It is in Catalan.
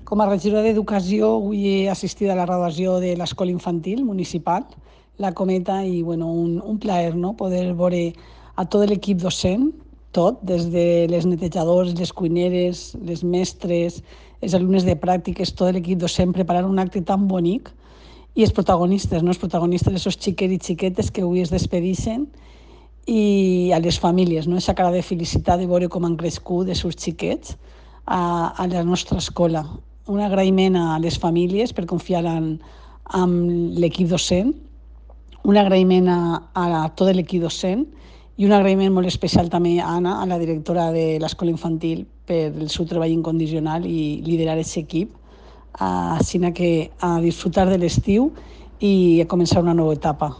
Com a regidora d'Educació, avui he assistit a la graduació de l'Escola Infantil Municipal, la Cometa, i un plaer, no? Poder veure a tot l'equip docent, tot, des de les netejadors, les cuineres, les mestres, els alumnes de pràctiques, tot l'equip docent preparar un acte tan bonic, i els protagonistes, no? Els protagonistes, aquests xiquets i xiquetes que avui es despedixen, i a les famílies, no? Aquesta cara de felicitat de veure com han crescut els seus xiquets a la nostra escola. Un agraïment a les famílies per confiar en l'equip docent, un agraïment a tot l'equip docent i un agraïment molt especial també a Anna, a la directora de l'Escola Infantil, per el seu treball incondicional i liderar aquest equip, així que a disfrutar de l'estiu i a començar una nova etapa.